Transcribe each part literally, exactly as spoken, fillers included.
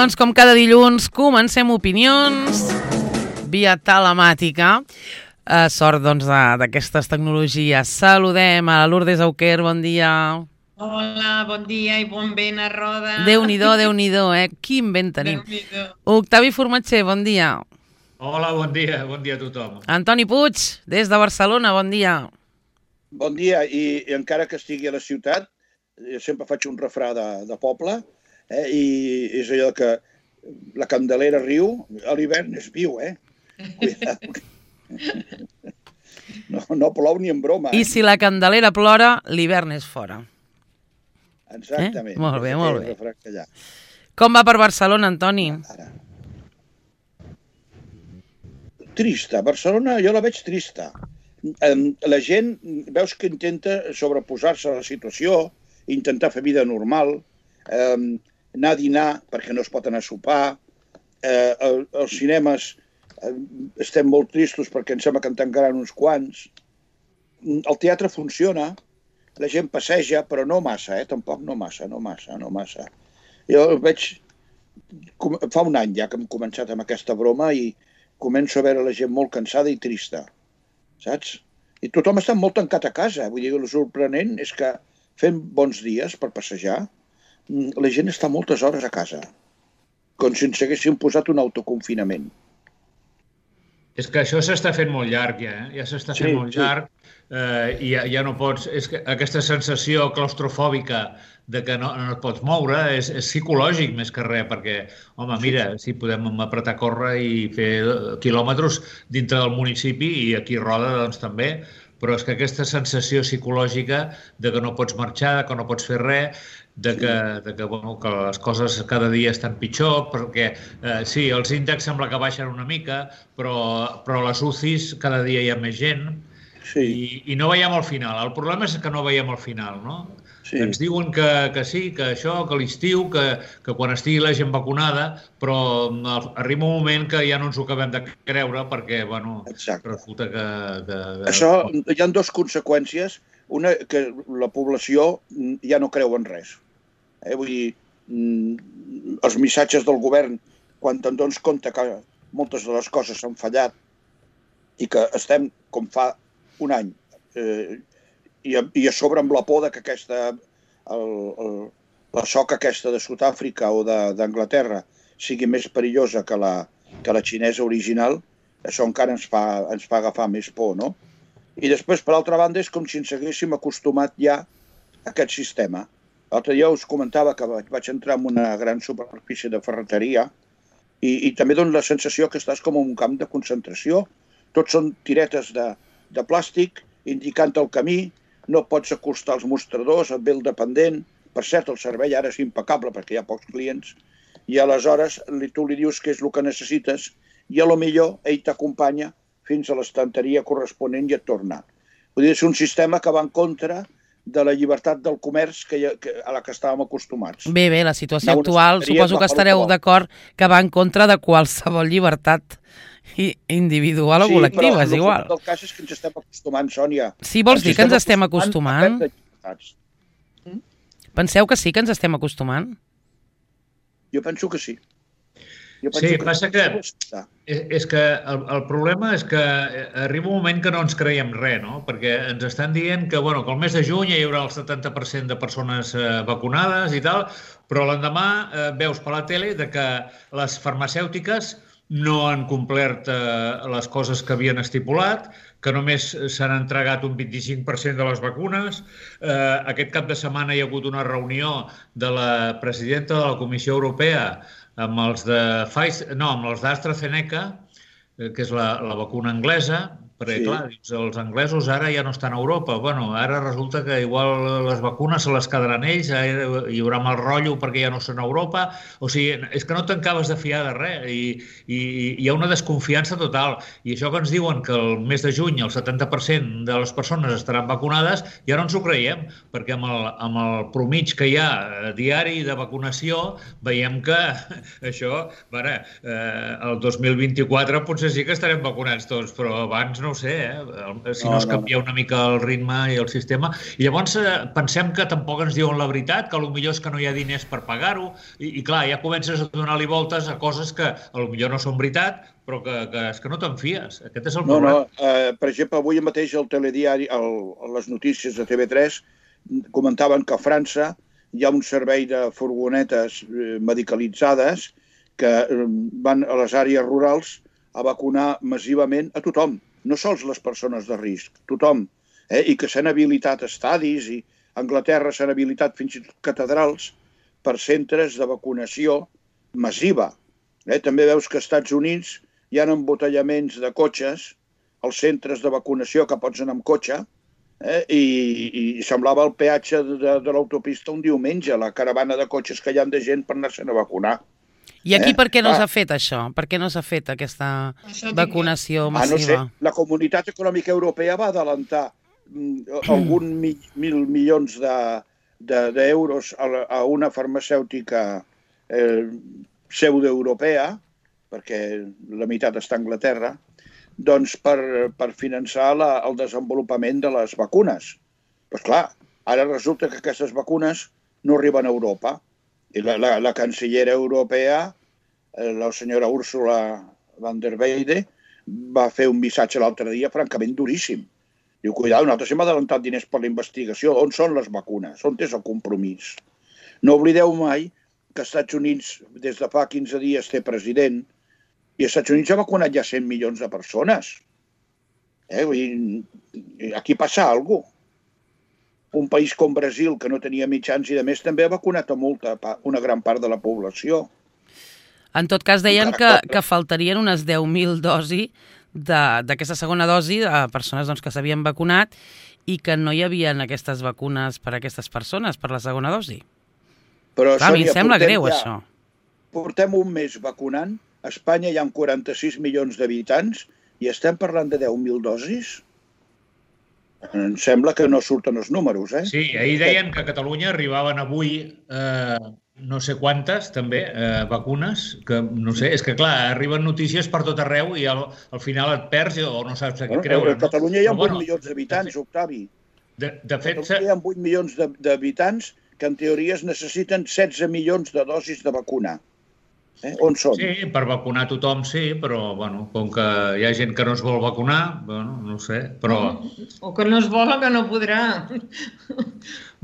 Doncs, com cada dilluns, comencem opinions via telemàtica. Eh, sort, doncs, d'aquestes tecnologies. Saludem a Lourdes Auquer, bon dia. Hola, bon dia i bon vent a roda. Déu-n'hi-do, Déu-n'hi-do, eh? Quin vent tenim. Octavi Formatger, bon dia. Hola, bon dia, bon dia a tothom. Antoni Puig, des de Barcelona, bon dia. Bon dia, i, i encara que estigui a la ciutat, jo sempre faig un refrà de, de poble, eh, i és allò que la Candelera riu, a l'hivern és viu, eh? Cuidado. No, no plou ni en broma. Eh? I si la Candelera plora, l'hivern és fora. Exactament. Eh? Molt bé, molt bé. Allà. Com va per Barcelona, Antoni? Ara. Trista. Barcelona jo la veig trista. La gent, veus que intenta sobreposar-se a la situació, intentar fer vida normal, eh, anar a dinar perquè no es pot anar a sopar, eh, el, els cinemes eh, estem molt tristos perquè em sembla que en tancaran uns quants. El teatre funciona, la gent passeja, però no massa, eh? Tampoc no massa, no massa, no massa. Jo veig... Fa un any ja que hem començat amb aquesta broma i començo a veure la gent molt cansada i trista, saps? I tothom està molt tancat a casa. Vull dir, el sorprenent és que fent bons dies per passejar, la gent està moltes hores a casa, com si ens haguessin posat un autoconfinament. És que això s'està fent molt llarg, ja, eh? Ja s'està fent sí, molt sí. llarg eh, i ja, ja no pots... És que aquesta sensació claustrofòbica de que no, no et pots moure és, és psicològic més que res, perquè, home, mira, sí, podem apretar a córrer i fer quilòmetres dintre del municipi i aquí a Roda, doncs, també, però és que aquesta sensació psicològica de que no pots marxar, de que no pots fer res, de que, de que, bueno, que les coses cada dia estan pitjor, perquè eh, sí, els índexs sembla que baixen una mica, però, però a les U C Is cada dia hi ha més gent sí. i, i no veiem el final. El problema és que no veiem el final, no? Sí. Ens diuen que, que sí, que això, que l'estiu, que, que quan estigui la gent vacunada, però arriba un moment que ja no ens ho acabem de creure perquè, bueno, exacte. Resulta que, que, que... Això, hi ha dues conseqüències. Una, que la població ja no creu en res. Eh? Vull dir, els missatges del govern, quan te'n dones compte que moltes de les coses s'han fallat i que estem, com fa un any, eh, i, a, i a sobre amb la por de que aquesta, el, el, la soca aquesta de Sud-àfrica o d'Anglaterra sigui més perillosa que la, que la xinesa original, això encara ens fa, ens fa agafar més por, no? I després, per altra banda, és com si ens haguéssim acostumat ja a aquest sistema. L'altre dia us comentava que vaig entrar en una gran superfície de ferreteria i, i també dona la sensació que estàs com en un camp de concentració. Tots són tiretes de, de plàstic indicant el camí, no pots acostar els mostradors, et ve el dependent. Per cert, el servei ara és impecable perquè hi ha pocs clients i aleshores tu li dius què és el que necessites i a lo millor ell t'acompanya fins a l'estanteria corresponent i et torna. Vull dir, és un sistema que va en contra de la llibertat del comerç que, que, a la que estàvem acostumats. Bé, bé, la situació actual, suposo que estareu d'acord que va en contra de qualsevol llibertat individual o sí, col·lectiva, però és igual. El cas és que ens estem acostumant, Sònia. Sí, vols dir que ens estem acostumant? Penseu que sí que ens estem acostumant? Jo penso que sí. Sí, passa que és que el, el problema és que arriba un moment que no ens creiem res, no? Perquè ens estan dient que, bueno, que el mes de juny hi haurà el setanta per cent de persones eh, vacunades i tal, però l'endemà eh, veus per la tele de que les farmacèutiques no han complert eh, les coses que havien estipulat, que només s'han entregat un vint-i-cinc per cent de les vacunes. Eh, aquest cap de setmana hi ha hagut una reunió de la presidenta de la Comissió Europea amb els de Pfizer, no, amb els d'AstraZeneca, que és la, la vacuna anglesa, perquè, sí. Clar, dius, els anglesos ara ja no estan a Europa. Bueno, ara resulta que igual les vacunes se les quedaran ells, hi haurà mal rotllo perquè ja no són a Europa. O sigui, és que no t'acabes de fiar de res i, i, i hi ha una desconfiança total. I això que ens diuen que el mes de juny el setanta per cent de les persones estaran vacunades, ja no ens ho creiem, perquè amb el, amb el promig que hi ha diari de vacunació veiem que això, bueno, eh, el dos mil vint-i-quatre potser sí que estarem vacunats tots, però abans no no ho sé, eh? si no, no es canvia no, no. una mica el ritme i el sistema. I llavors pensem que tampoc ens diuen la veritat, que potser és que no hi ha diners per pagar-ho, i, i clar, ja comences a donar-li voltes a coses que potser no són veritat, però que, que és que no te'n fies. Aquest és el no, problema. No, uh, per exemple, avui mateix al telediari, el, les notícies de T V tres, comentaven que a França hi ha un servei de furgonetes medicalitzades que van a les àrees rurals a vacunar massivament a tothom, no sols les persones de risc, tothom, eh? I que s'han habilitat estadis i a Anglaterra s'han habilitat fins i tot catedrals per centres de vacunació massiva. Eh? També veus que als Estats Units hi ha embotellaments de cotxes als centres de vacunació que pots anar amb cotxe, eh? I, i semblava el peatge de, de l'autopista un diumenge, la caravana de cotxes que hi ha de gent per anar-se'n a vacunar. I aquí eh? per què no ah. s'ha fet això? Per què no s'ha fet aquesta vacunació massiva? Ah, no sé. La Comunitat Econòmica Europea va adelantar mm, algun mi, mil milions d'euros de, de, a, a una farmacèutica eh, pseudoeuropea, perquè la meitat està a Anglaterra, doncs per, per finançar la, el desenvolupament de les vacunes. Però clar, ara resulta que aquestes vacunes no arriben a Europa. I la, la, la cancellera europea, la senyora Ursula von der Leyen, va fer un missatge l'altre dia francament duríssim. Diu, cuidado, nosaltres hem adelantat diners per la investigació. On són les vacunes? On és el compromís? No oblideu mai que als Estats Units, des de fa quinze dies, té president, i als Estats Units ha vacunat ja cent milions de persones. Eh? Vull dir, aquí passa alguna cosa. Un país com Brasil, que no tenia mitjans i, de més, també ha vacunat a molta, una gran part de la població. En tot cas, deien que, que faltarien unes deu mil dosis d'aquesta segona dosi a persones doncs, que s'havien vacunat i que no hi havia aquestes vacunes per a aquestes persones, per la segona dosi. Però, clar, Sònia, a mi em sembla greu, ja, això. Portem un mes vacunant. A Espanya hi ha quaranta-sis milions d'habitants i estem parlant de deu mil dosis? Em sembla que no surten els números, eh? Sí, ahir deien que a Catalunya arribaven avui eh, no sé quantes, també, eh, vacunes, que no sé, és que clar, arriben notícies per tot arreu i al, al final et perds o no saps a què creure. A Catalunya hi ha vuit milions d'habitants, Octavi. De, de fet... A Catalunya hi ha vuit milions d'habitants que en teoria es necessiten setze milions de dosis de vacuna. Eh? On són? Sí, per vacunar tothom sí, però bueno, com que hi ha gent que no es vol vacunar, bueno, no sé, però... O que no es vol o que no podrà.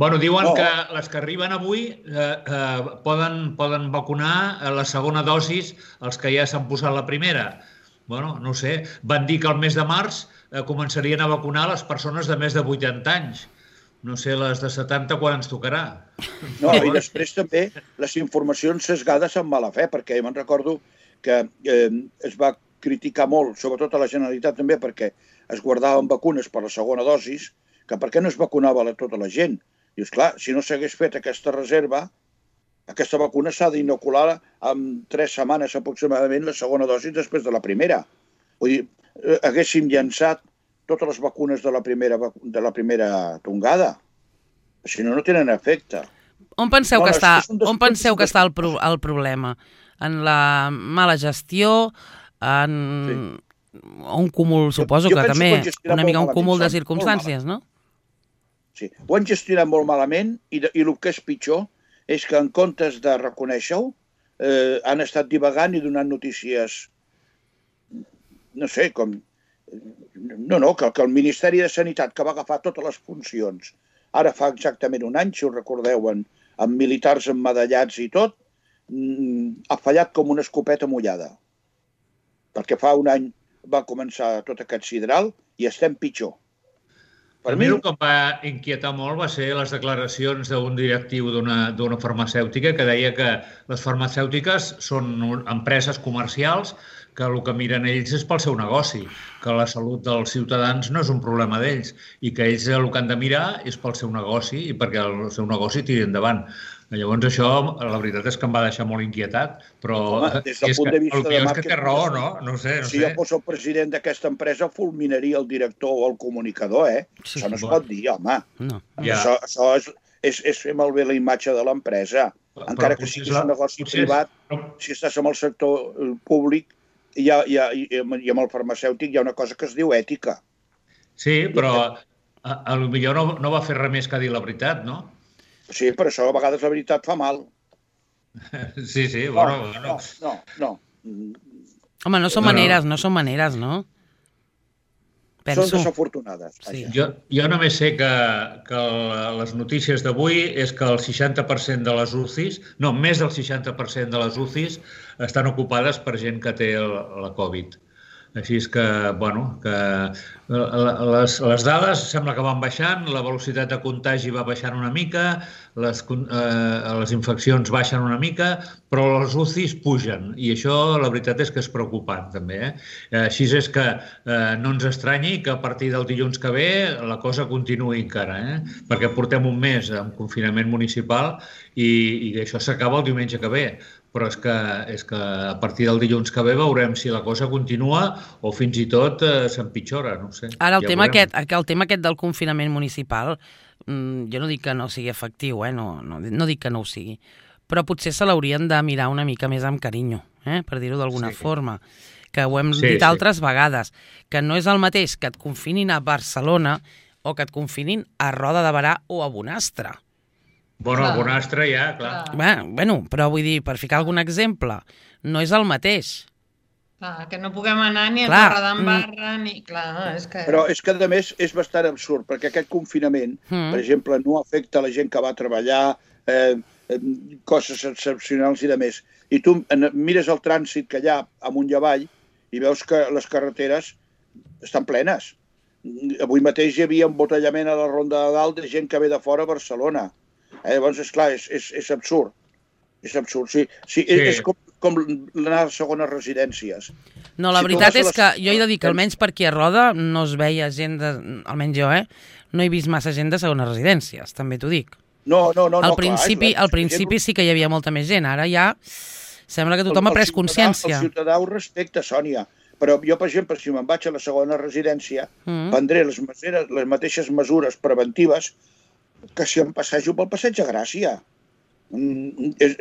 Bueno, diuen no. que les que arriben avui eh, eh, poden, poden vacunar la segona dosis els que ja s'han posat la primera. Bueno, no sé, van dir que al mes de març eh, començarien a vacunar les persones de més de vuitanta anys. No sé, les de setanta quan ens tocarà. No, i després també les informacions sesgades amb mala fe, perquè me'n recordo que eh, es va criticar molt, sobretot a la Generalitat també, perquè es guardaven vacunes per la segona dosis, que per què no es vacunava a tota la gent? I esclar, si no s'hagués fet aquesta reserva, aquesta vacuna s'ha d'inocular en tres setmanes aproximadament la segona dosi després de la primera. Vull dir, eh, haguéssim llançat totes les vacunes de la primera, de la primera tongada. Si no, no tenen efecte. On penseu, no, que, està, on penseu que està el, pro, el problema? En la mala gestió? En sí. un cúmul, suposo jo, jo que també, una mica un cúmul de circumstàncies, no? Sí, ho han gestionat molt malament i, de, i el que és pitjor és que en comptes de reconèixer-ho eh, han estat divagant i donant notícies, no sé, com... No, no, que, que el Ministeri de Sanitat, que va agafar totes les funcions, ara fa exactament un any, si us recordeu, en, amb militars emmedallats i tot, ha fallat com una escopeta mullada. Perquè fa un any va començar tot aquest sidral i estem pitjor. Per a mi el que em va inquietar molt va ser les declaracions d'un directiu d'una farmacèutica que deia que les farmacèutiques són empreses comercials que el que miren ells és pel seu negoci, que la salut dels ciutadans no és un problema d'ells i que ells el que han de mirar és pel seu negoci i perquè el seu negoci tiri endavant. Llavors això, la veritat és que em va deixar molt inquietat, però home, des del punt de vista el que és que té raó, no? No sé, no si jo fos el president d'aquesta empresa, fulminaria el director o el comunicador, eh? Sí, això no es pot dir, home. No. Això, això és, és, és fer malbé la imatge de l'empresa. Encara que siguis un negoci privat, si estàs en el sector públic, I, ha, i, ha, i amb el farmacèutic hi ha una cosa que es diu ètica. Sí, però a, a lo millor no, no va fer res més que dir la veritat, no? Sí, per això a vegades la veritat fa mal. Sí, sí, No, bueno... no, bueno. no, no. Home, no són No, no. maneres, no són maneres, no? Són Penso. desafortunades. Sí. vaja. Jo, jo només sé que, que les notícies d'avui és que el seixanta per cent de les U C Is, no, més del seixanta per cent de les U C Is estan ocupades per gent que té el, la Covid. Així és que, bueno, que les, les dades sembla que van baixant, la velocitat de contagi va baixant una mica, les, eh, les infeccions baixen una mica, però les U C Is pugen, i això la veritat és que és preocupant, també. Eh? Així és que eh, no ens estranyi que a partir del dilluns que ve la cosa continuï encara, eh? Perquè portem un mes en confinament municipal i, i això s'acaba el diumenge que ve. Però és que, és que a partir del dilluns que ve veurem si la cosa continua o fins i tot eh, s'empitjora, no ho sé. Ara, el, ja tema veurem. aquest, el tema aquest del confinament municipal, mmm, jo no dic que no sigui efectiu, eh? no, no, no dic que no ho sigui, però potser se l'haurien de mirar una mica més amb carinyo, eh? Per dir-ho d'alguna Sí. forma, que ho hem Sí, dit sí. altres vegades, que no és el mateix que et confinin a Barcelona o que et confinin a Roda de Berà o a Bonastre. Bueno, Clar. el Bonastre ja, clar. Clar. Bé, bueno, però vull dir, per ficar algun exemple, no és el mateix. Clar, que no puguem anar ni a Clar, Torredembarra, ni... Clar, és que... Però és que, a més, és bastant absurd, perquè aquest confinament, Mm. per exemple, no afecta la gent que va treballar, eh, eh, coses excepcionals i de més. I tu en- mires el trànsit que hi ha amunt i avall i veus que les carreteres estan plenes. Avui mateix hi havia embotellament a la Ronda de Dalt de gent que ve de fora a Barcelona. Eh, llavors, esclar, és, és, és absurd. És absurd, sí. sí, Sí. És com, com anar a segones residències. No, la Si tu veritat vas a és les- que jo he de dir que almenys per aquí a Roda no es veia gent, de, almenys jo, eh? No he vist massa gent de segones residències, també t'ho dic. No, no, no. Al no, principi, clar, al principi sí que hi havia molta més gent, ara ja sembla que tothom ha pres ciutadà- consciència. El ciutadà ho respecta, Sònia. Però jo, per exemple, si me'n vaig a la segona residència, Mm. prendré les, meseres, les mateixes mesures preventives que si em passejo pel passeig de Gràcia. Mm, és,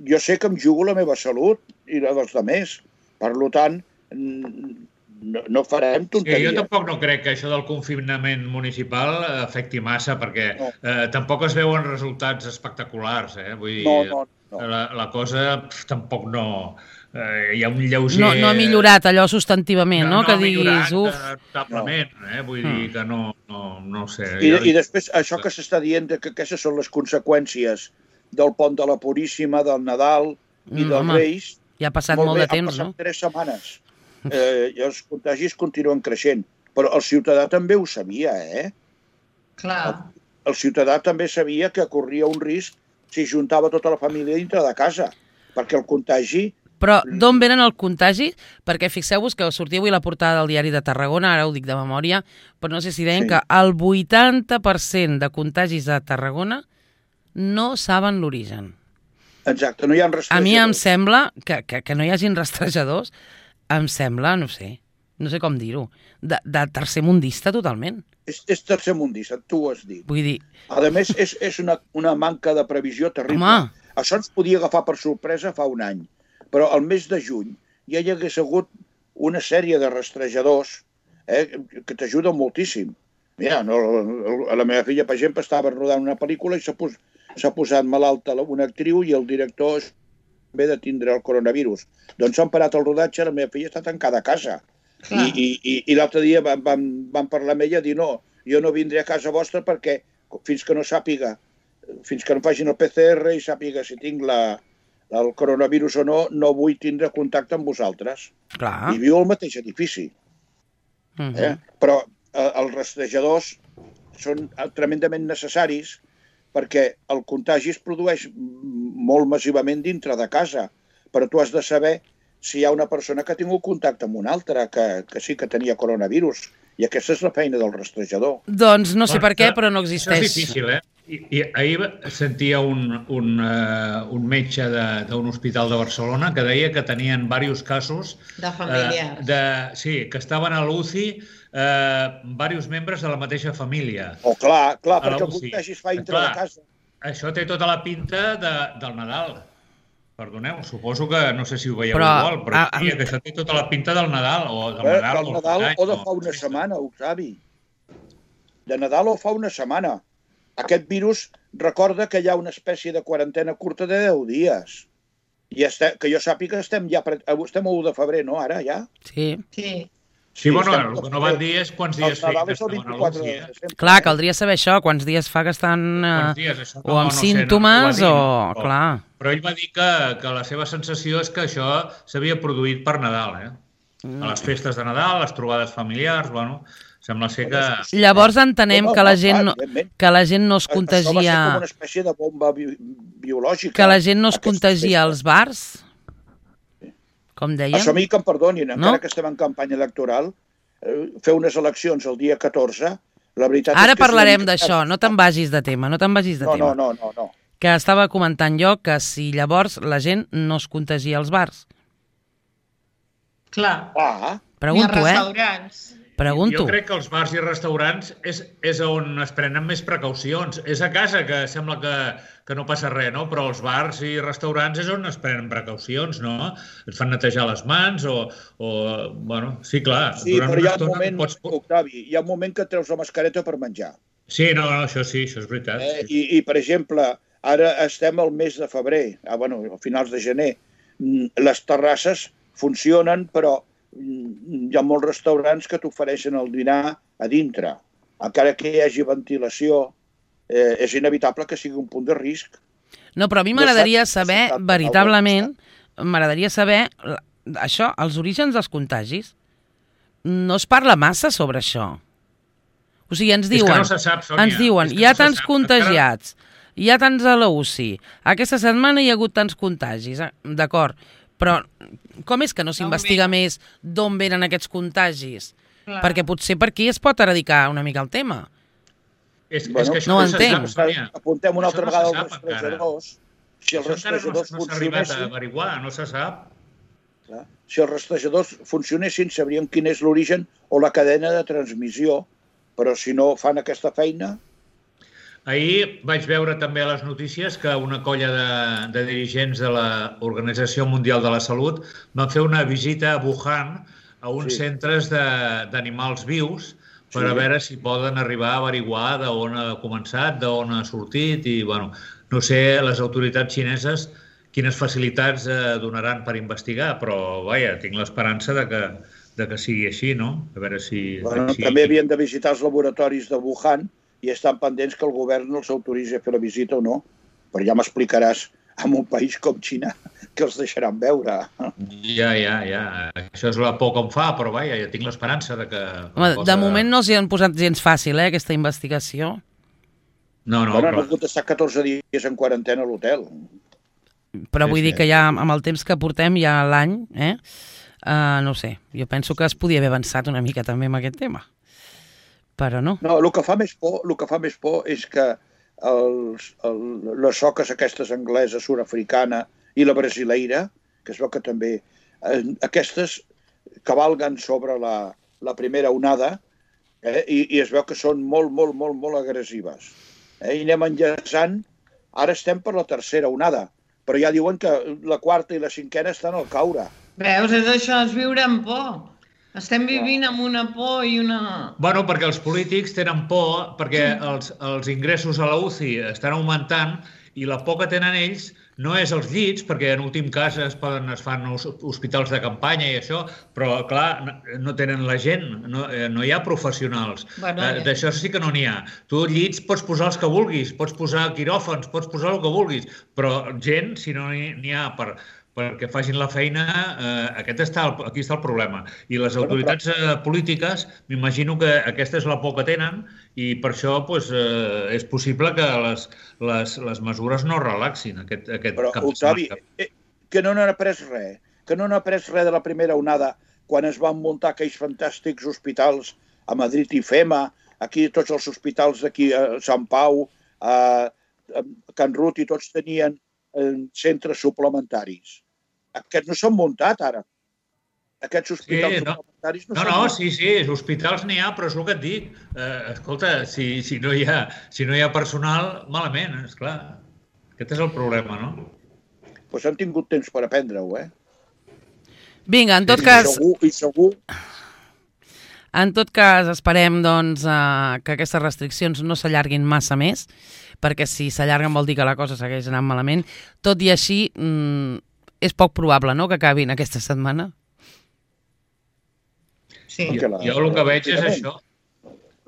jo sé que em jugo la meva salut i la dels altres. Per tant, mm, no, no farem Sí, tonteries. jo tampoc no crec que això del confinament municipal afecti massa, perquè No. eh, tampoc es veuen resultats espectaculars. Eh? Vull dir, No, no, no. La, la cosa pf, tampoc no... Eh, hi ha un lleuger... No, no ha millorat allò substantivament, no? no Que ha millorat, diguis, uf... eh, notablement, eh? Vull dir que no, no, no ho sé. I, Jo- I després, això que s'està dient, de que aquestes són les conseqüències del pont de la Puríssima, del Nadal i Mm, dels home, Reis, Ja ha passat molt, molt bé, de temps, han passat no? tres setmanes. Eh, I els contagis continuen creixent. Però el ciutadà també ho sabia, eh? Clar, El ciutadà també sabia que corria un risc si juntava tota la família dintre de casa, perquè el contagi... Però d'on venen el contagi? Perquè fixeu-vos que sortia avui la portada del diari de Tarragona, ara ho dic de memòria, però no sé si deien Sí. que el vuitanta per cent de contagis a Tarragona no saben l'origen. Exacte, no hi ha rastrejadors. A mi em sembla que, que, que no hi hagin rastrejadors, em sembla, no sé, no sé com dir-ho, de, de tercermundista totalment. És, és tercermundista, tu ho has dit. Vull dir, A més, és, és una, una manca de previsió terrible. Home. Això ens podia agafar per sorpresa fa un any. Però al mes de juny ja hi hagués hagut una sèrie de rastrejadors eh, que t'ajuden moltíssim. Mira, no, la meva filla, per exemple, estava rodant una pel·lícula i s'ha pos, s'ha posat malalta una actriu i el director ve de tindre el coronavirus. Doncs s'han parat el rodatge, la meva filla està tancada a casa. clar. I, i, i, i l'altre dia vam, vam, vam parlar amb ella i dir no, jo no vindré a casa vostra perquè fins que no sàpiga, fins que no facin el P C R i sàpiga si tinc la, el coronavirus o no, no vull tindre contacte amb vosaltres. clar. I viu al mateix edifici. Uh Eh? Però eh, els rastrejadors són tremendament necessaris perquè el contagi es produeix molt massivament dintre de casa, però tu has de saber si hi ha una persona que ha tingut contacte amb una altra, que, que sí que tenia coronavirus. I aquesta és la feina del rastrejador. Doncs no sé per què, Això- però no Això existeix. és difícil, eh? I, i ahir sentia un, un, uh, un metge de- d'un hospital de Barcelona que deia que tenien diversos casos De familiars. eh, de, sí, que estaven a l'U C I eh, diversos membres de la mateixa família. O clar, clar, A la perquè el U C I. contagi es fa dintre Clar. de casa. Això té tota la pinta de, del Nadal. Perdoneu, suposo que no sé si ho veieu Però, igual, però ah, diria que això té tota la pinta del Nadal o del Eh, Nadal, del Nadal Any, o de fa una setmana, Octavi. de Nadal o fa una setmana. Aquest virus recorda que hi ha una espècie de quarantena curta de deu dies. I estem, que jo sàpiga, estem ja estem a u de febrer, no, ara, ja? Sí. Sí. Sí, bueno, el que no van dir és quants dies feien que estaven estaven a l'U C I. Eh? Clar, caldria saber això, quants dies fa que estan eh, dies, això, o no, amb no sé, símptomes no, no o... dir, no. Clar. Però ell va dir que, que la seva sensació és que això s'havia produït per Nadal, eh? Mm. A les festes de Nadal, les trobades familiars, bueno, sembla ser que... Llavors entenem no, no, que la gent no, que la gent no es contagia... Això va ser com una espècie de bomba bi biològica. Que la gent no es contagia als bars, com deien. Això a mi que em perdonin, encara no? que estem en campanya electoral, fer unes eleccions el dia catorze, la veritat Ara és que... Ara parlarem d'això, no te'n vagis de tema, no te'n vagis de no, tema. No, no, no, no. Que estava comentant jo que si llavors la gent no es contagia als bars. Clar. Ah. Pregunto, I als restaurants. Eh? Pregunto. Jo crec que els bars i restaurants és, és on es prenen més precaucions. És a casa que sembla que, que no passa res, no? Però els bars i restaurants és on es prenen precaucions, no? Et fan netejar les mans o... o bueno, sí, clar. Sí, però hi ha un moment, pots... Octavi, hi ha un moment que et treus la mascareta per menjar. Sí, no, no, això sí, això és veritat. Eh, i, I, per exemple, ara estem al mes de febrer, ah, bueno, a finals de gener, les terrasses funcionen, però hi ha molts restaurants que t'ofereixen el dinar a dintre. Encara que hi hagi ventilació, eh, és inevitable que sigui un punt de risc. No, però a mi m'agradaria saber, veritablement, m'agradaria saber això, els orígens dels contagis. No es parla massa sobre això. O sigui, ens diuen, és que no se sap, Sònia. ens diuen, hi ha no tants contagiats, hi ha tants a la U C I, aquesta setmana hi ha hagut tants contagis, d'acord, però com és que no s'investiga més d'on venen aquests contagis? Clar. Perquè potser per aquí es pot eradicar una mica el tema. És, bueno, és que això no no entenc. se sap, Sònia. Apuntem una altra no vegada als rastrejadors. Si els rastrejadors no, no s'ha arribat a averiguar, no se sap. Clar. Si els rastrejadors funcionessin, sabríem quin és l'origen o la cadena de transmissió, però si no fan aquesta feina... Ahir vaig veure també a les notícies que una colla de, de dirigents de l'Organització Mundial de la Salut van fer una visita a Wuhan, a uns sí. centres d'animals vius, per sí. a veure si poden arribar a averiguar d'on ha començat, d'on ha sortit, i bueno, no sé, les autoritats xineses quines facilitats eh, donaran per investigar, però vaja, tinc l'esperança de que, de que sigui així, no? A veure si... Bueno, si... També havien de visitar els laboratoris de Wuhan i estan pendents que el govern els autoritzi a fer la visita o no. Però ja m'explicaràs, en un país com Xina, que els deixaran veure. Ja, ja, ja. Això és la por que em fa, però vaja, ja tinc l'esperança de que... Home, cosa... De moment no s'hi han posat gens fàcil, eh, aquesta investigació. No, no, bueno, però... han hagut d'estar catorze dies en quarantena a l'hotel. Però vull sí, dir que ja amb el temps que portem, ja l'any, eh, uh, no sé, jo penso que es podia haver avançat una mica també amb aquest tema. Però no. No, el que fa més por, el que fa més por és que els, el, les soques aquestes angleses, sud-africana i la brasileira, que es veu que també, eh, aquestes cavalguen sobre la, la primera onada eh, i, i es veu que són molt, molt, molt, molt agressives. Eh, I anem enllaçant, ara estem per la tercera onada, però ja diuen que la quarta i la cinquena estan al caure. Veus, és això, és viure amb por. Estem vivint amb una por i una... Bueno, perquè els polítics tenen por, perquè els, els ingressos a la U C I estan augmentant i la por que tenen ells no és els llits, perquè en últim cas es, poden, es fan hospitals de campanya i això, però clar, no tenen la gent, no, no hi ha professionals. Bueno, ja. D'això sí que no n'hi ha. Tu llits pots posar els que vulguis, pots posar quiròfans, pots posar el que vulguis, però gent, si no n'hi ha per... perquè facin la feina, eh, aquest està, aquí està el problema. I les autoritats eh, polítiques, m'imagino que aquesta és la por que tenen i per això pues, eh, és possible que les, les, les mesures no relaxin aquest, aquest Però, cap de Octavi, eh, que no n'han après res, que no n'han après res de la primera onada quan es van muntar aquells fantàstics hospitals a Madrid i FEMA, aquí tots els hospitals d'aquí a Sant Pau, a, a Can Rut, i tots tenien eh, centres suplementaris. Aquests no s'han muntat, ara. Aquests hospitals sí, no. suplementaris no, no s'han No, no, sí, sí, hospitals n'hi ha, però és el que et dic. Eh, escolta, si, si, no hi ha, si no hi ha personal, malament, esclar. Aquest és el problema, no? Doncs pues han tingut temps per aprendre-ho, eh? Vinga, en tot I cas... Segur, I segur... En tot cas, esperem doncs, eh, que aquestes restriccions no s'allarguin massa més, perquè si s'allarguen vol dir que la cosa segueix anant malament. Tot i així, mm, és poc probable, no?, que acabin aquesta setmana. Sí. Jo, jo el que veig és això.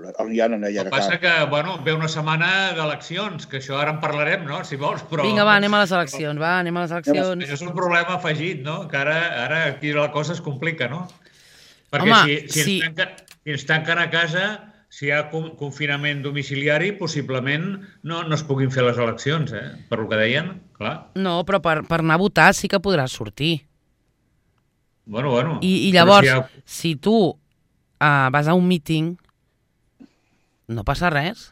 El que passa que, bueno, ve una setmana d'eleccions, que això ara en parlarem, no?, si vols, però... Vinga, va, anem a les eleccions, va, anem a les eleccions. Això és un problema afegit, no?, que ara, ara aquí la cosa es complica, no? Perquè Home, si, si, sí. ens tanquen, si ens tanquen a casa, si hi ha confinament domiciliari, possiblement no, no es puguin fer les eleccions, eh? Per el que deien, clar. No, però per, per anar a votar sí que podràs sortir. Bueno, bueno. I, i llavors, si, si, ha... si tu uh, vas a un míting, no passa res.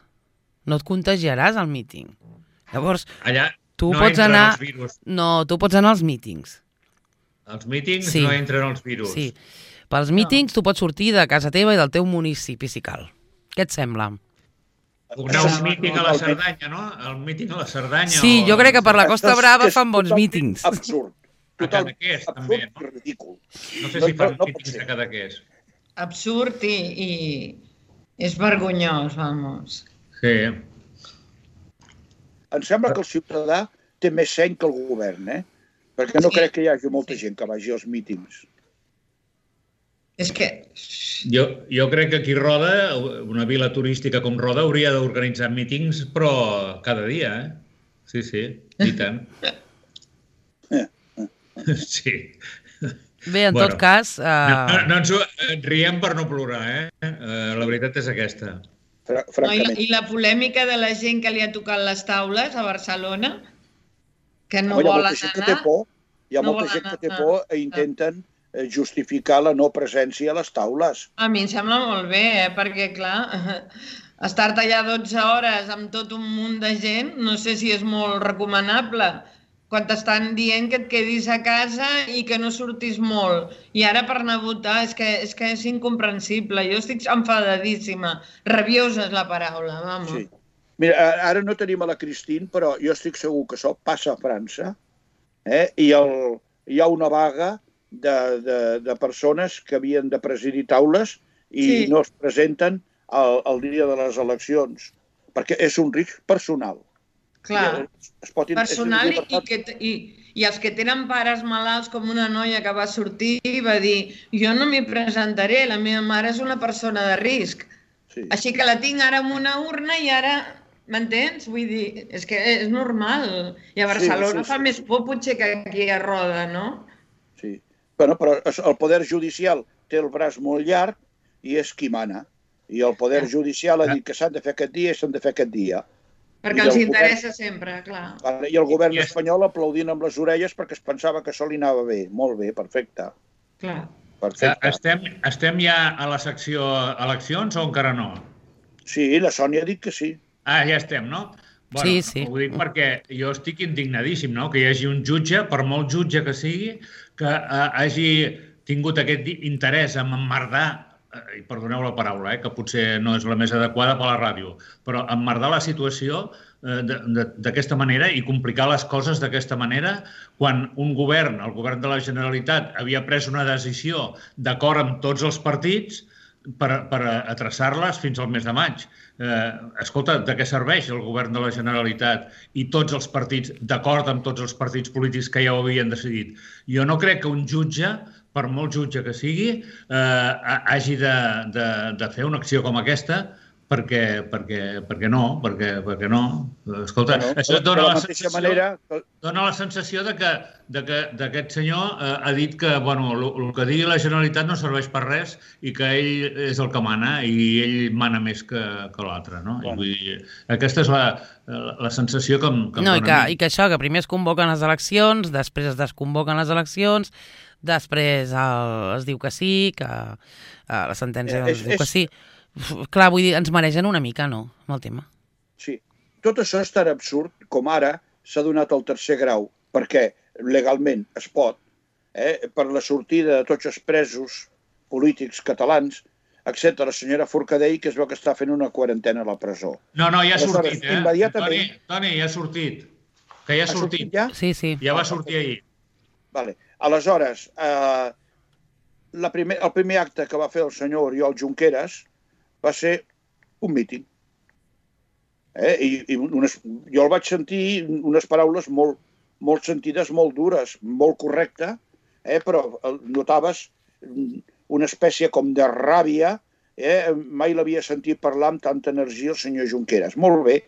No et contagiaràs al míting. Llavors, allà tu no pots entren anar... els virus. No, tu pots anar als mítings. Els mítings sí. no entren els virus. Sí. Pels mítings no. Tu pots sortir de casa teva i del teu municipi, si cal. Què et sembla? Anar a un míting a la Cerdanya, no? El míting a la Cerdanya. Sí, o... jo crec que per la Costa Brava fan bons mítings. Absurd. Total, Cadaqués, també, no? Ridícul. No sé si fan no, no mítings a Cadaqués. Absurd i, i és vergonyós, vamos. Sí. Em sembla que el ciutadà té més seny que el govern, eh? Perquè no sí. crec que hi hagi molta gent que vagi als mítings. És que... Jo, jo crec que aquí Roda, una vila turística com Roda, hauria d'organitzar mítings, però cada dia, eh? Sí, sí, i tant. Sí. Bé, en bueno, tot cas... Uh... No, no, no ens riem per no plorar, eh? Uh, la veritat és aquesta. No, i, la, I la polèmica de la gent que li ha tocat les taules a Barcelona, que no Home, volen hi ha anar... Que té por, hi ha no molta gent que té por i intenten justificar la no presència a les taules. A mi em sembla molt bé, eh? Perquè, clar, estar-te allà dotze hores amb tot un munt de gent, no sé si és molt recomanable, quan t'estan dient que et quedis a casa i que no surtis molt. I ara per anar a votar és que és, que és incomprensible. Jo estic enfadadíssima. Rabiosa és la paraula, vamos. Sí. Mira, ara no tenim a la Christine, però jo estic segur que això passa a França, eh? I el, hi ha una vaga de, de, de persones que havien de presidir taules i sí. no es presenten el, el dia de les eleccions, perquè és un risc personal. Clar, es pot, personal i, que, i, i els que tenen pares malalts, com una noia que va sortir i va dir jo no m'hi presentaré, la meva mare és una persona de risc. Sí. Així que la tinc ara en una urna i ara, m'entens? Vull dir, és que és normal. I a Barcelona sí, sí, sí. fa més por potser que aquí a Roda, no? Sí, bueno, però el poder judicial té el braç molt llarg i és qui mana. I el poder judicial ha dit que s'han de fer aquest dia i s'han de fer aquest dia. Perquè els interessa sempre, clar. I el govern espanyol aplaudint amb les orelles perquè es pensava que això li anava bé. Molt bé, perfecte. Clar. Perfecte. Estem, estem ja a la secció eleccions o encara no? Sí, la Sònia ha dit que sí. Ah, ja estem, no? Bueno, sí, sí. Ho dic perquè jo estic indignadíssim, no? Que hi hagi un jutge, per molt jutge que sigui, que eh, hagi tingut aquest interès en emmerdar, i perdoneu la paraula, eh, que potser no és la més adequada per a la ràdio, però emmerdar la situació eh, d'aquesta manera i complicar les coses d'aquesta manera quan un govern, el govern de la Generalitat, havia pres una decisió d'acord amb tots els partits per, per atreçar-les fins al mes de maig. Eh, escolta, de què serveix el govern de la Generalitat i tots els partits, d'acord amb tots els partits polítics que ja ho havien decidit? Jo no crec que un jutge, per molt jutge que sigui, eh, hagi de, de, de fer una acció com aquesta, perquè, perquè, perquè no, perquè, perquè no. Escolta, bueno, això dona la, sensació, manera... dona la sensació de que, de que d'aquest senyor eh, ha dit que bueno, el, el que digui la Generalitat no serveix per res i que ell és el que mana i ell mana més que, que l'altre, no? Bueno. I vull dir, aquesta és la, la sensació que em, que em no, dona i que, a mi. I que això, que primer es convoquen les eleccions, després es desconvoquen les eleccions, després el, es diu que sí, que eh, la sentència eh, és, es diu és... que sí. Clar, vull dir, ens maregen una mica, no?, amb el tema. Sí. Tot això és tan absurd com ara s'ha donat el tercer grau, perquè legalment es pot, eh, per la sortida de tots els presos polítics catalans, excepte la senyora Forcadell, que es veu que està fent una quarantena a la presó. No, no, ja ha sortit, eh? Immediatament... Toni, Toni, ja ha sortit. Que ja ha, ha sortit. sortit ja? Sí, sí. Ja va sortir ahir. Vale. Aleshores, eh, la primer, el primer acte que va fer el senyor Oriol Junqueras va ser un míting. Eh? I, i unes, jo el vaig sentir unes paraules molt, molt sentides, molt dures, molt correcte, eh? Però notaves una espècie com de ràbia. Eh? Mai l'havia sentit parlar amb tanta energia el senyor Junqueras. Molt bé.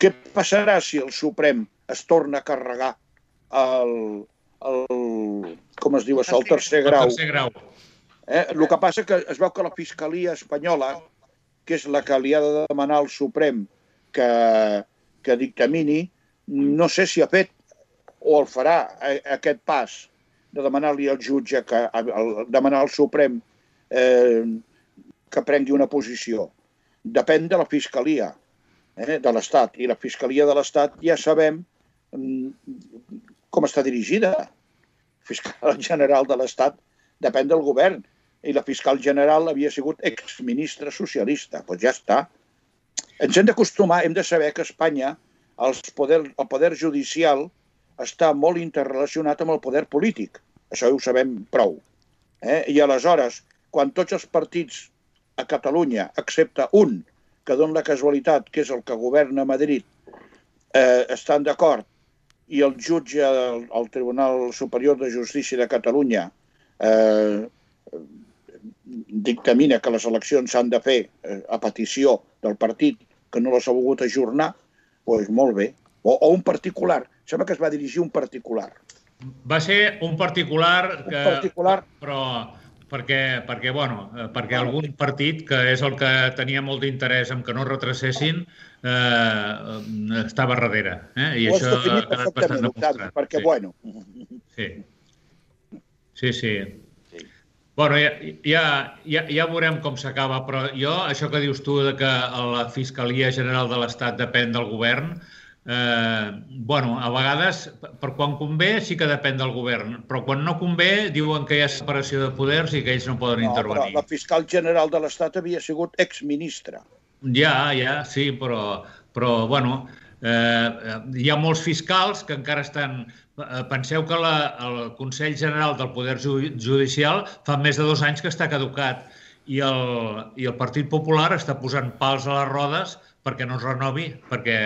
Què passarà si el Suprem es torna a carregar el, el com es diu això, el tercer grau? El tercer grau. Eh? El que passa que es veu que la Fiscalia espanyola, que és la que li ha de demanar al Suprem que, que dictamini, no sé si ha fet o el farà aquest pas de demanar-li al jutge, que, el, demanar al Suprem eh, que prengui una posició. Depèn de la Fiscalia eh, de l'Estat. I la Fiscalia de l'Estat ja sabem com està dirigida. El fiscal general de l'Estat depèn del govern. I la fiscal general havia sigut exministra socialista. Doncs ja està. Ens hem d'acostumar, hem de saber que a Espanya els poder, el poder judicial està molt interrelacionat amb el poder polític. Això ho sabem prou. Eh? I aleshores, quan tots els partits a Catalunya, excepte un, que dona la casualitat, que és el que governa a Madrid, eh, estan d'acord, i el jutge del el Tribunal Superior de Justícia de Catalunya eh, dictamina que les eleccions s'han de fer eh, a petició del partit que no les ha volgut ajornar, doncs molt bé. O, o un particular. Sembla que es va dirigir un particular. Va ser un particular, que, un particular. però perquè, perquè, bueno, perquè algun partit, que és el que tenia molt d'interès en que no retrocessin, eh, estava darrere. Eh? I Ho això has definit ha quedat bastant demostrat. Perquè, sí. bueno... Sí, sí. sí. sí. Bueno, ja, ja, ja, ja veurem com s'acaba, però jo, això que dius tu de que la Fiscalia General de l'Estat depèn del govern, eh, bueno, a vegades, per quan convé sí que depèn del govern, però quan no convé diuen que hi ha separació de poders i que ells no poden no, intervenir. Però la fiscal general de l'Estat havia sigut exministra. Ja, ja, sí, però, però bueno, eh, hi ha molts fiscals que encara estan... Penseu que la, el Consell General del Poder Judicial fa més de dos anys que està caducat i el, i el Partit Popular està posant pals a les rodes perquè no es renovi, perquè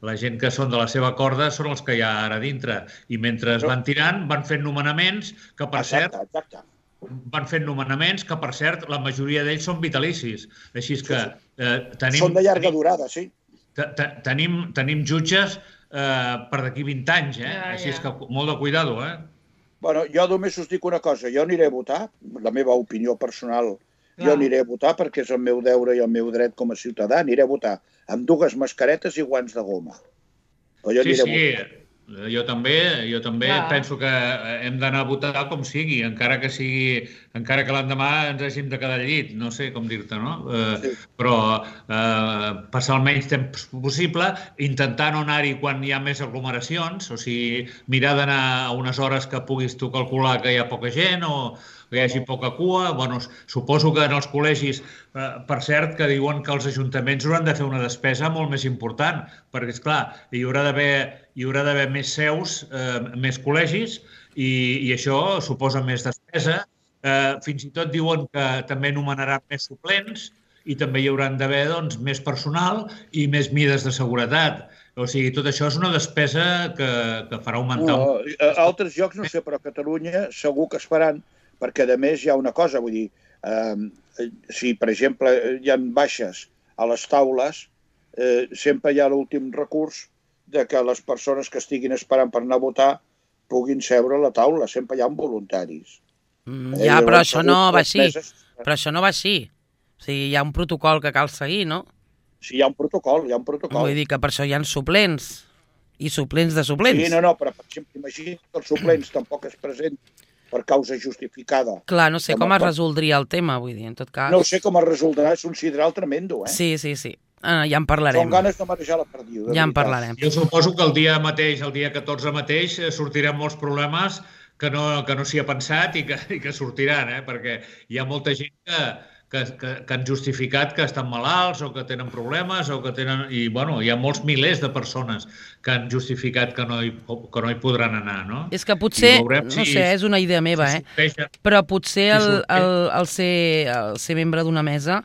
la gent que són de la seva corda són els que hi ha ara dintre. I mentre es van tirant, van fent nomenaments que, per cert, exacte, exacte. van fent nomenaments que, per cert, la majoria d'ells són vitalicis. Així que eh, tenim... Són de llarga durada, sí. Tenim, tenim jutges eh, per d'aquí vint anys, eh? Ja, Així ja. és que molt de cuidado, eh? Bueno, jo només us dic una cosa, jo aniré a votar, la meva opinió personal, jo Clar. aniré a votar perquè és el meu deure i el meu dret com a ciutadà, aniré a votar amb dues mascaretes i guants de goma. Però jo Sí, aniré sí, a votar. jo també, jo també Clar. penso que hem d'anar a votar com sigui, encara que sigui, encara que l'endemà ens hàgim de quedar al llit, no sé com dir-te, no? Eh, Sí. Però eh, passar el menys temps possible, intentar no anar-hi quan hi ha més aglomeracions, o sigui, mirar d'anar a unes hores que puguis tu calcular que hi ha poca gent o que hi hagi poca cua. Bueno, suposo que en els col·legis, eh, per cert, que diuen que els ajuntaments hauran de fer una despesa molt més important, perquè, esclar, hi haurà d'haver hi haurà d'haver més seus, eh, més col·legis, i, i això suposa més despesa. Eh, fins i tot diuen que també nomenaran més suplents i també hi hauran d'haver doncs, més personal i més mides de seguretat. O sigui, tot això és una despesa que, que farà augmentar... No, un... a altres llocs no sé, però a Catalunya segur que es faran, perquè a més hi ha una cosa, vull dir, eh, si per exemple hi ha baixes a les taules, eh, sempre hi ha l'últim recurs de que les persones que estiguin esperant per anar a votar puguin seure a la taula. Sempre hi ha voluntaris. Mm, ja, eh, però això no va així. Meses... Però això no va així. O sigui, hi ha un protocol que cal seguir, no? Sí, hi ha un protocol, hi ha un protocol. Vull dir que per això hi ha suplents. I suplents de suplents. Sí, no, no, però per exemple, imagina que els suplents tampoc es presenten per causa justificada. Clar, no sé com es resoldria el tema, vull dir, en tot cas... No sé com es resoldrà, és un sidral tremendo, eh? Sí, sí, sí. Ah, ja en parlarem. Són ganes de marejar la perdiu. Ja en parlarem. Jo suposo que el dia mateix, el dia catorze mateix, sortiran molts problemes que no, que no s'hi ha pensat i que, i que sortiran, eh? Perquè hi ha molta gent que, que, que, que han justificat que estan malalts o que tenen problemes o que tenen... I, bueno, hi ha molts milers de persones que han justificat que no hi, que no hi podran anar, no? És que potser, no si sé, és una idea meva, eh? Però potser el, el, el, ser, el ser membre d'una mesa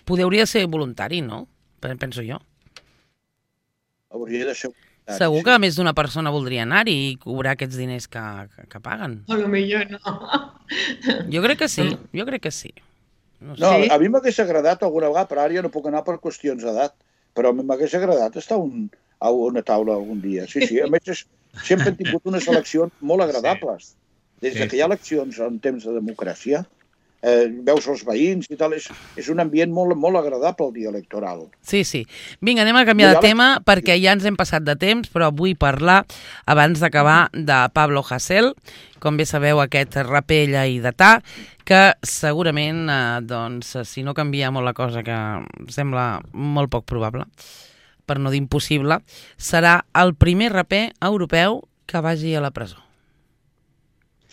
podria ser voluntari, no? Penso jo. Hauria de ser... Segur que més d'una persona voldria anar-hi i cobrar aquests diners que, que, que paguen. A lo millor no. Jo crec que sí, jo crec que sí. No, sé. no a mi m'hagués agradat alguna vegada, però ara ja no puc anar per qüestions d'edat, però m'hagués agradat estar un, a una taula algun dia. Sí, sí, a més sempre hem tingut unes eleccions molt agradables. Des que hi ha eleccions en temps de democràcia, Eh, veus els veïns i tal, és, és un ambient molt, molt agradable el dia electoral. Sí, sí. Vinga, anem a canviar de tema perquè ja ens hem passat de temps, però vull parlar, abans d'acabar, de Pablo Hasél, com bé sabeu, aquest raper lleidatà, que segurament, eh, doncs, si no canvia molt la cosa, que sembla molt poc probable, per no dir impossible, serà el primer raper europeu que vagi a la presó.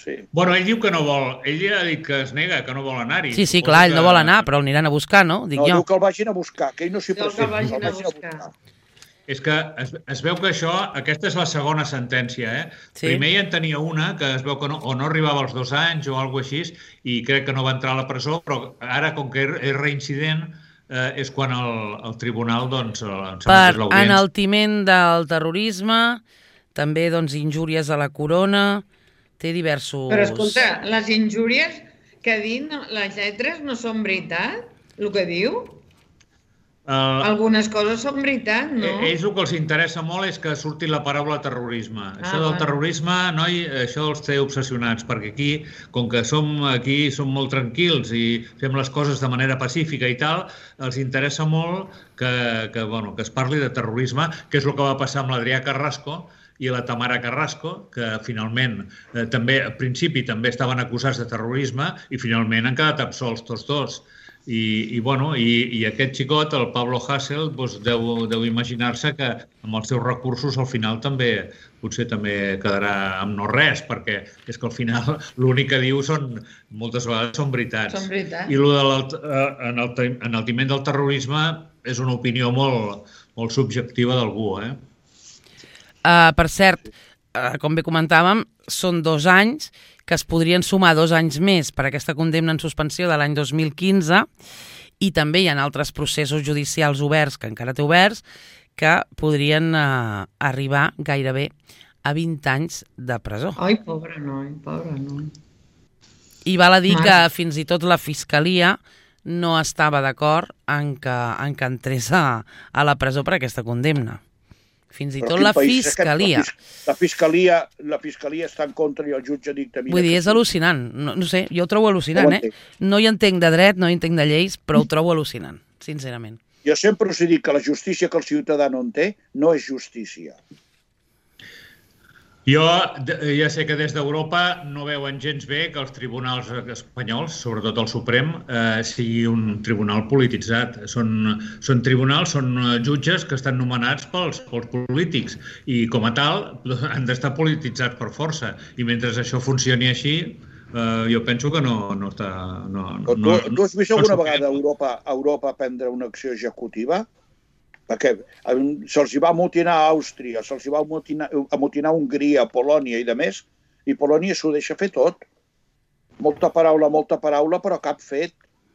Sí. Bueno, ell diu que no vol, ell ja ha dit que es nega, que no vol anar-hi. Sí, sí, clar, ell no vol anar, però el aniran a buscar, no? Dic no, jo. diu que el vagin a buscar, que ell no s'hi presenta. Que el vagin a buscar. És que es, es veu que això, aquesta és la segona sentència, eh? Sí. Primer ja en tenia una, que es veu que no, o no arribava als dos anys o alguna cosa així, i crec que no va entrar a la presó, però ara, com que és reincident, eh, és quan el, el tribunal, doncs, per enaltiment del terrorisme, també, doncs, injúries a la corona... Té diversos... Però, escolta, les injúries que ha dit, les lletres no són veritat, el que diu? Uh, Algunes coses són veritat, no? Ells el que els interessa molt és que surti la paraula terrorisme. Ah, això del vale. terrorisme, noi, això els té obsessionats, perquè aquí, com que som aquí, som molt tranquils i fem les coses de manera pacífica i tal, els interessa molt que, que, bueno, que es parli de terrorisme, que és el que va passar amb l'Adrià Carrasco, i la Tamara Carrasco, que finalment eh, també, al principi també estaven acusats de terrorisme i finalment han quedat absolts tots dos. I, i, bueno, i, i aquest xicot, el Pablo Hasél, doncs deu, deu imaginar-se que amb els seus recursos al final també potser també quedarà amb no res, perquè és que al final l'únic que diu són, moltes vegades són veritats. Són veritats. I el de l'enaltiment del terrorisme és una opinió molt, molt subjectiva d'algú, eh? Uh, per cert, uh, com bé comentàvem, són dos anys que es podrien sumar dos anys més per aquesta condemna en suspensió de l'any dos mil quinze i també hi ha altres processos judicials oberts, que encara té oberts, que podrien uh, arribar gairebé a vint anys de presó. Ai, pobre noi, pobre noi. I val a dir Mare. que fins i tot la Fiscalia no estava d'acord en que, en que entrés a, a la presó per aquesta condemna. Fins i tot la Fiscalia. La Fiscalia la Fiscalia està en contra i el jutge dictamina... Vull dir, és al·lucinant. No, no sé, jo ho trobo al·lucinant, eh? No hi entenc de dret, no hi entenc de lleis, però ho trobo al·lucinant, sincerament. Jo sempre us he dit que la justícia que el ciutadà no en té no és justícia. Jo ja sé que des d'Europa no veuen gens bé que els tribunals espanyols, sobretot el Suprem, eh, sigui un tribunal polititzat. Són, són tribunals, són jutges que estan nomenats pels, pels polítics i com a tal han d'estar polititzats per força. I mentre això funcioni així, eh, jo penso que no, no està... No, tu, no, tu has vist alguna no vegada a Europa, a Europa prendre una acció executiva? Perquè se'ls va amotinar a Àustria, se'ls va amotinar, amotinar a Hongria, a Polònia i de més, i Polònia s'ho deixa fer tot. Molta paraula, molta paraula, però cap fet.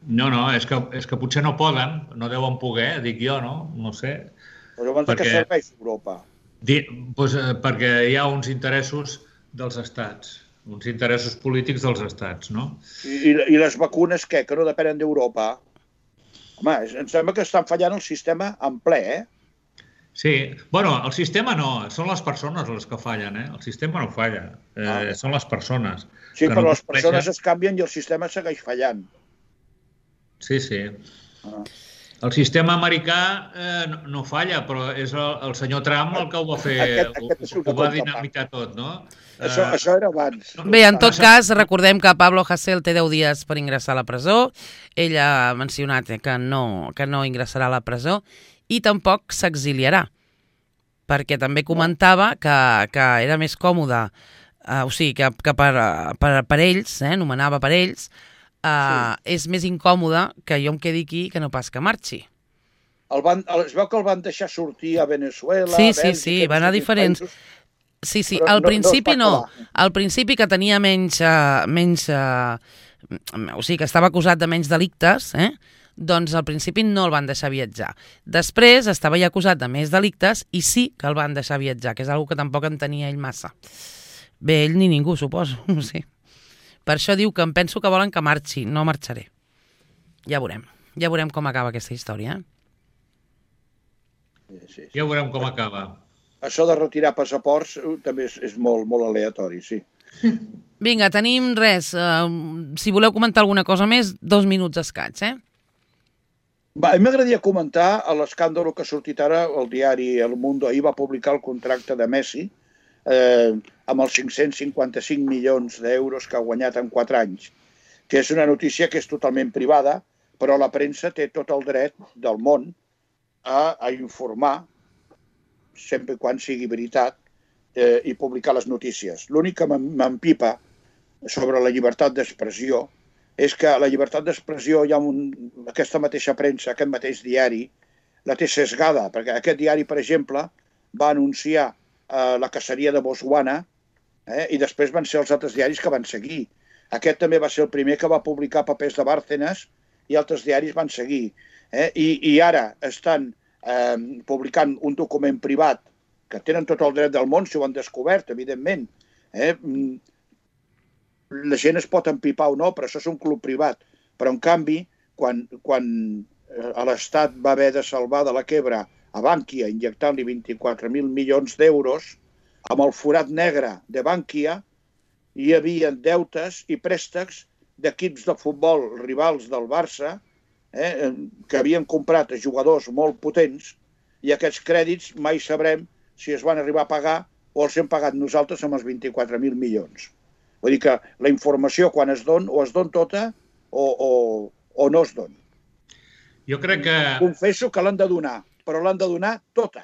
No, no, és que, és que potser no poden, no deuen poder, dic jo, no? No sé. Però llavors perquè, de què serveix Europa? Di, doncs, perquè hi ha uns interessos dels estats, uns interessos polítics dels estats, no? I, i les vacunes, què? Que no depenen d'Europa? Home, em sembla que estan fallant el sistema en ple, eh? Sí. Bueno, el sistema no, són les persones les que fallen, eh? El sistema no falla, eh, ah. són les persones. Sí, però no les persones es canvien i el sistema segueix fallant. Sí, sí. Ah. El sistema americà eh, no, no falla, però és el, el senyor Trump el que ho va fer, aquest, aquest ho, ho va dinamitar tot, no? Això, uh, això era abans. Bé, en tot cas, recordem que Pablo Hasél té deu dies per ingressar a la presó. Ell ha mencionat que no, que no ingressarà a la presó i tampoc s'exiliarà, perquè també comentava que, que era més còmode, uh, o sigui, que, que per, per, per ells, eh, nomenava per ells, uh, sí. és més incòmode que jo em quedi aquí que no pas que marxi. El van, es veu que el van deixar sortir a Venezuela, sí, a Bèlgica... Sí, sí, van a diferents... Països, sí, sí, al no, principi no. no. Al principi que tenia menys... Uh, menys uh, o sigui, que estava acusat de menys delictes, eh? Doncs al principi no el van deixar viatjar. Després estava ja acusat de més delictes i sí que el van deixar viatjar, que és una que tampoc entenia ell massa. Bé, ell ni ningú, suposo, no sé. Per això diu que em penso que volen que marxi, no marxaré. Ja veurem, ja veurem com acaba aquesta història, eh? Sí, sí. Ja veurem com acaba. Això de retirar passaports també és, és molt, molt aleatori, sí. Vinga, tenim res. Uh, si voleu comentar alguna cosa més, dos minuts escaig, eh? Va, a mi m'agradaria comentar l'escàndol que ha sortit ara el diari El Mundo. Ahir va publicar el contracte de Messi eh, amb els cinc-cents cinquanta-cinc milions d'euros que ha guanyat en quatre anys, que és una notícia que és totalment privada, però la premsa té tot el dret del món a, a informar, sempre quan sigui veritat, eh, i publicar les notícies. L'únic que m'empipa sobre la llibertat d'expressió és que la llibertat d'expressió, hi ha un, aquesta mateixa premsa, aquest mateix diari, la té sesgada, perquè aquest diari, per exemple, va anunciar eh, la caceria de Botswana eh, i després van ser els altres diaris que van seguir. Aquest també va ser el primer que va publicar papers de Bárcenas i altres diaris van seguir. Eh? I, I ara estan eh, publicant un document privat que tenen tot el dret del món, si ho han descobert, evidentment. Eh? La gent es pot empipar o no, però això és un club privat. Però, en canvi, quan, quan l'Estat va haver de salvar de la quebra a Bankia, injectant-li vint-i-quatre mil milions d'euros, amb el forat negre de Bankia hi havia deutes i préstecs d'equips de futbol rivals del Barça eh, que havien comprat a jugadors molt potents i aquests crèdits mai sabrem si es van arribar a pagar o els hem pagat nosaltres amb els vint-i-quatre mil milions. Vull dir que la informació quan es don, o es don tota o, o, o no es don. Jo crec que... Confesso que l'han de donar, però l'han de donar tota.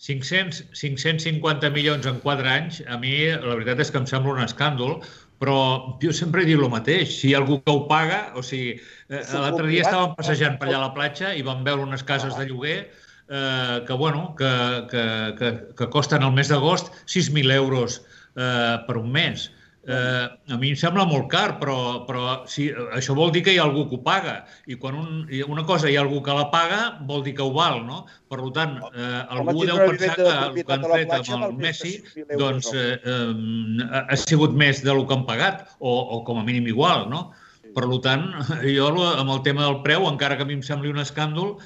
cinc-cents, cinc-cents cinquanta milions en quatre anys, a mi la veritat és que em sembla un escàndol, però jo sempre he dit el mateix. Si hi ha algú que ho paga, o sigui, l'altre dia estàvem passejant per allà a la platja i vam veure unes cases de lloguer eh, que, bueno, que, que, que, que costen al mes d'agost sis mil euros eh, per un mes. Eh, a mi em sembla molt car, però, però sí, això vol dir que hi ha algú que ho paga. I quan un, una cosa hi ha algú que la paga, vol dir que ho val, no? Per tant, eh, algú deu pensar que el que han fet amb el Messi doncs, eh, eh, ha sigut més del que han pagat, o, o com a mínim igual, no? Per tant, jo amb el tema del preu, encara que a mi em sembli un escàndol,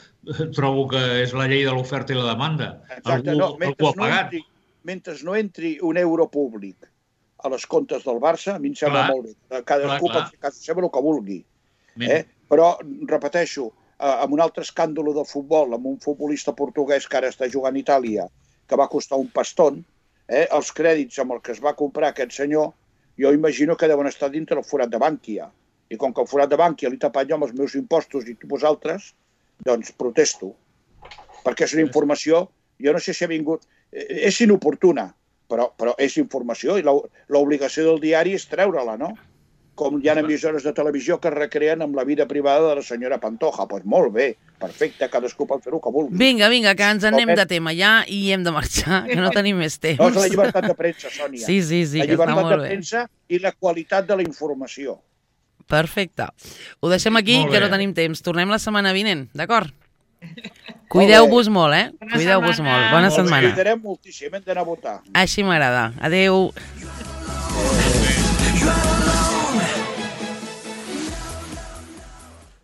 trobo que és la llei de l'oferta i la demanda. Exacte, no, mentre, no entri, mentre no entri un euro públic a les comptes del Barça, a mi em sembla clar, molt bé. Cadascú pot fer casa seva el que vulgui. Eh? Però, repeteixo, amb un altre escàndol de futbol, amb un futbolista portuguès que ara està jugant a Itàlia, que va costar un paston, eh? els crèdits amb el que es va comprar aquest senyor, jo imagino que deuen estar dintre el forat de Bankia. I com que el forat de Bankia l'he tapat jo amb els meus impostos i vosaltres, doncs protesto. Perquè és una informació, jo no sé si ha vingut... És inoportuna, Però, però és informació i l'obligació del diari és treure-la, no? Com hi ha emissores de televisió que es recreen amb la vida privada de la senyora Pantoja. Doncs pues molt bé, perfecte, cadascú pot fer-ho que vulgui. Vinga, vinga, que ens anem de tema ja i hem de marxar, que no tenim més temps. No, és la llibertat de premsa, Sònia. Sí, sí, sí, que està molt bé. La llibertat de premsa i la qualitat de la informació. Perfecte. Ho deixem aquí, que no tenim temps. Tornem la setmana vinent, d'acord? Cuideu-vos molt, eh? Cuideu-vos molt. Bona setmana. Cuidarem moltíssim, hem d'anar a votar. Així m'agrada. Adéu. Adéu.